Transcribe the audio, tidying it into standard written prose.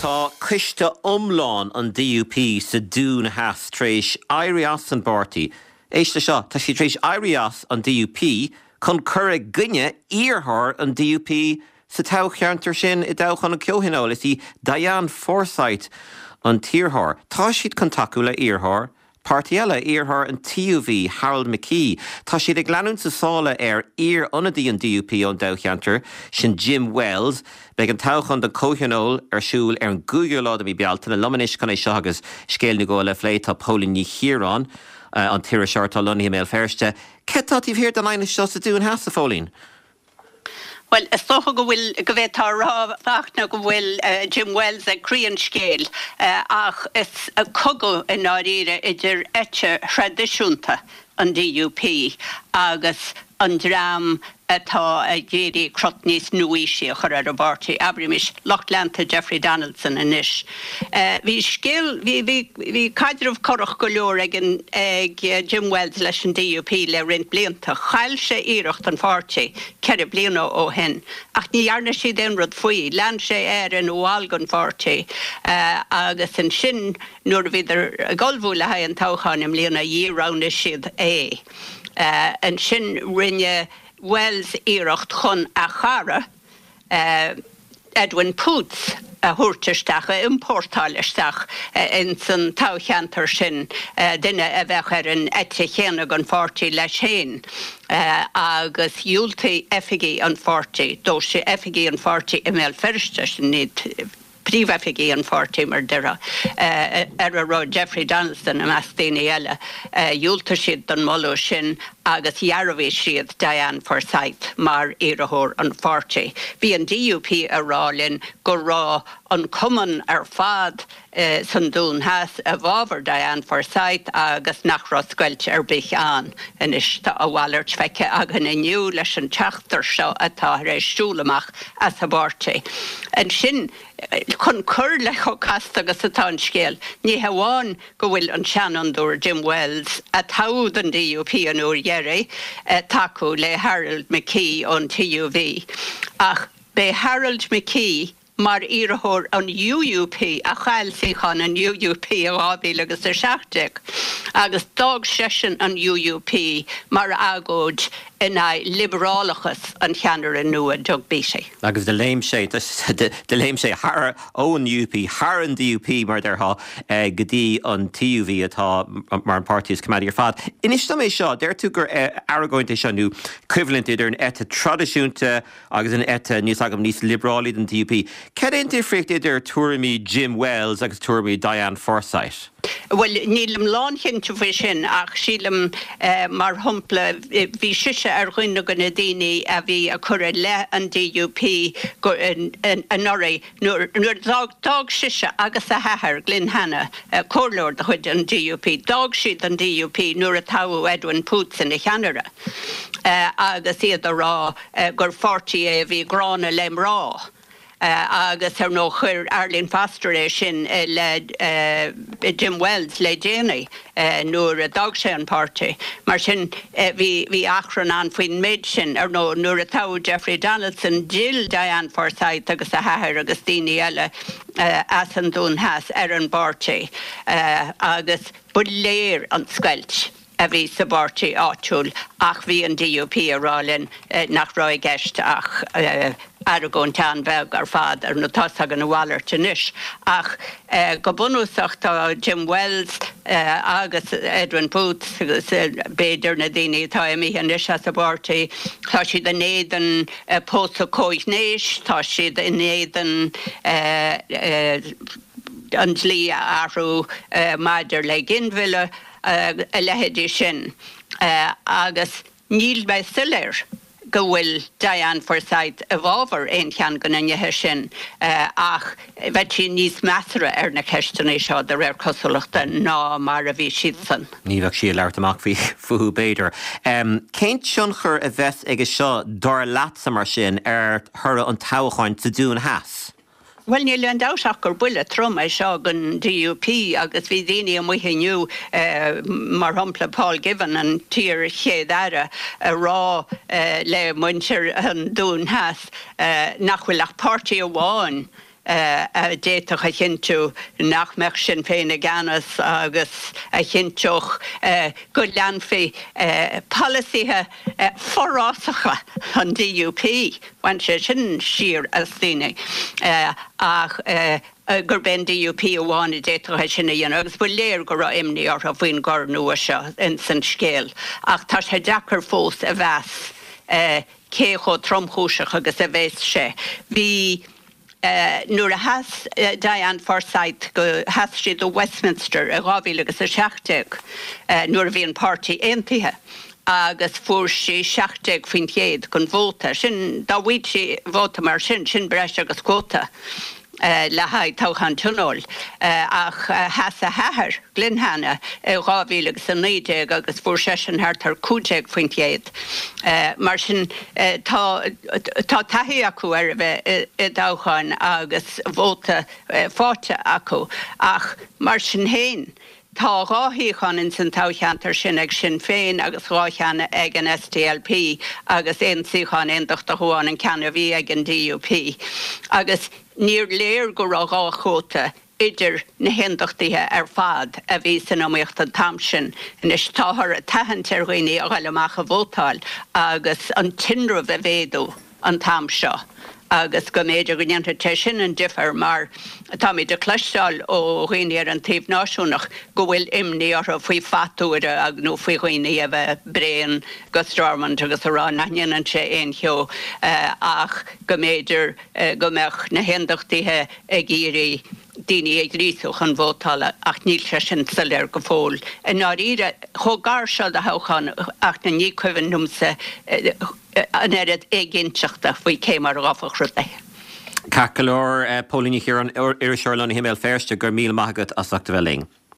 Tá coiste iomlán an DUP sa Dún Theas tar éis éirí as an bpáirtí. Éist le seo, tá siad tar éis éirí as an DUP chun cur i gcoinne iarrthóir an DUP sa toghcheantar sin i dtoghchán an Chomhthionóil. Is í Diane Forsythe an t-iarrthóir. Tá siad chun tacú le iarrthóir Páirtí eile, iarrthóir an TUV, Harold McKee. Tá siad ag leanúint sa sáile ar iar-ionadaí an DUP ón dtoghcheantar sin, Jim Wells. Beidh an toghchán don Chomhthionól ar siúl ar an gcúigiú lá de mhí Bealtaine. Liom anois chun é seo agus scéal nó dhó eile a phlé tá Póilín Ní Chiaráin, an t-iriseoir atá lonnaithe i mBéal Feirste. Céard atá taobh thiar den aighneas seo sa Dún Theas, a Phóilín? Bhuel, is dócha go bhfuil, go bhféadfá a rá, a Fhachtna, go bhfuil Jim Wells ag croí an scéil, ach is cogadh i ndáiríre idir eite thraidisiúnta an DUP agus an dream atá ag iarraidh crot níos nua-aoisí a chur ar an bpáirtí, abraimis, lucht leanta Jeffrey Donaldson anois. Bhí scéal, bhí, bhí, bhí caidreamh corrach go leor ag an, ag Jim Wells leis an DUP le roinnt blianta. Chaill sé iarracht an pháirtí ceithre bliana ó shin ach ní dhearna siad aon rud faoi. Lean sé air ina bhall den pháirtí agus ansin nuair a bhíodar ag ullmhú le haghaidh an toghcháin i mbliana dhíroghnaigh siad é. Ansin rinne Wells iarracht chun a chara, Edwin Poots a thabhairt isteach, a iompórtáil isteach ins an toghcheantar sin, duine a bheadh ar an eite chéanna den pháirtí leis féin, agus dhiúltaigh oifigigh an pháirtí dó, oifigigh an pháirtí i mBéal Feirste, sin iad. príomhoifigigh an pháirtí, mar a déarfá, ar a raibh Jeffrey Donaldson i measc daoine eile, dhiúltaigh siad don mholadh sin agus dhearbhaigh siad Diane Forsythe mar iarrthóir an pháirtí. Bhí an DUP ag rá linn go raibh an cumann ar fad san Dún Theas i bhfabhar Diane Forsythe agus nach raibh scoilt ar bith ann. Anois tá a mhalairt feicthe againn inniu leis an tseachtar seo atá tar éis siúl amach as an bpáirtí. Ansin, chun cur le chomh casta agus atá an scéal, ní hamháin go bhfuil an seanfhondúir Jim Wells, a toghadh don DUP an uair dheiridh, ag tacú le Harold McKee ón TUV, ach b'é Harold McKee mar iarrthóir an UUP a chaill suíochán an UUP i 2017 agus d'fhág seisean an UUP mar agóid in aghaidh liobrálachas an cheannaire nua Doug Beattie. Agus do léim sé, do léim sé thar, ón UUP thar an DUP, mar a déarfá, go dtí an TUV atá mar an páirtí is coimeádaí ar fad. Inis dom é seo, deir tú gur argóint é seo nó coimhlint idir an eite traidisiúnta agus an eite, níl a fhios agam, níos liobrálaí den DUP. Cad é an difríocht idir tuairimí Jim Wells agus tuairimí Diane Forsythe? Bhuel, nílim lánchinnte faoi sin ach sílim, mar shampla, bhí sise ar dhuine de na daoine a bhí ag cur i leith an DUP anuraidh nuair a d'fhág sise agus a hathair, Glyn Hanna, comhairleoir de chuid an DUP, d'fhág siad an DUP nuair a toghadh Edwin Poots ina cheannaire agus iad ag rá gur pháirtí é a bhí gránna le mná. Agus ar ndóigh chuir Arlene Foster é sin i leith Jim Wells le déanaí nuair a d'fhág sé an páirtí. Mar sin bhí bhí achrann ann faoin méid sin. Ar ndóigh nuair a toghadh Jeffrey Donaldson d'fhill Diane Forsythe agus a hathair agus daoine eile as an Dún Theas ar an bpáirtí agus ba léir an scoilt. a bhí sa bpáirtí áitiúil ach bhí an DUP ag rá linn nach raibh i gceist ach argóint an-bheag ar fad. Ar ndóigh tá's againn a mhalairt anois ach go bunúsach tá Jim Wells agus Edwin Poots agus b'fhéidir na daoine atá imithe anois as an bpáirtí, tá siad in éadan pósadh comhghnéis, tá siad in éadan an dlí a athrú maidir le ginmhilleadh. a leithéidí sin agus níl mé soiléir go bhfuil Diane Forsythe i bhfabhar aon cheann de na nithe sin ach bheadh sí níos measartha ar na ceisteanna seo de réir cosúlachta ná mar a bhí siadsan. Ní bheadh sí ag labhairt amach faoi fúthu b'fhéidir. Cén tionchar a bheas aige seo dar leatsa mar sin ar thoradh an toghcháin sa Dún Theas? Bhuel, níl aon dabht ach gur buille trom é seo don DUP agus bhí daoine amuigh inniu, mar shampla Paul Givan, an t-iar-Chéad Aire, ag rá le muintir an Dúin Theas nach bhfuil ach páirtí amháin. A d'fhéadfadh a chinntiú nach mbeadh Sinn Féin i gceannas agus a chinnteodh go leanfaí polasaithe forásacha an DUP, bhain sé sin siar as daoine, ach gurb é an DUP amháin a d'fhéadfadh é sin a dhéanamh agus ba léir go raibh imní orthu faoin gcor nua seo ins an scéal ach tá sé deacair fós a mheas cé chomh tromchúiseach agus a bheas sé. Bhí. Nuair a sheas Diane Forsythe go, sheas sí do Westminster i 2017 nuair a bhí an páirtí aontaithe agus fuair sí 17% den vóta. Sin, dá bhfaigheadh sí vóta mar sin, sin breis agus cuóta le haghaidh toghchán tionóil. Ach sheas a hathair, Glenn Hanna, i 2019 agus fuair seisean thart ar 15%. Mar sin tá tá taithí acu ar a bheith i dtoghcháin agus vóta faighte acu ach mar sin féin tá 2 shuíochán ins an toghcheantar sin ag Sinn Féin agus 2 cheann ag an SDLP agus aon suíochán aondachtach amháin, an ceann a bhí ag an DUP. Agus níor léir go raibh 2 chuóta idir na hAondachtaithe ar fad a bhí san iomaíocht an t-am sin. Anois táthar ag tathant ar dhaoine a ghoil amach a vótáil agus an tinreamh a mhéadú an t-am seo agus go mb'fhéidir go ndéanfadh sé sin an difear mar táimid ag cloisteáil ó dhaoine ar an taobh náisiúnach go bhfuil imní orthu faoi phatuaire nó faoi dhaoine a bheith bréan go Stormont agus a rá nach ndéanann sé aon cheo ach go mb'fhéidir go mbeadh na hAondachtaithe ag iarraidh daoine a ghríosú chun vótála ach níl sé sin soiléir go fóill. I ndáiríre, chomh gar seo do thoghchán ach ní cuimhin liomsa an oiread éiginnteachta faoi cé mar a ghabhfadh rudaí. Ceart go leor, Póilín Ní Chiaráin, iriseoir lonnaithe i mBéal Feirste, go raibh míle maith agat as ucht a bheith linn.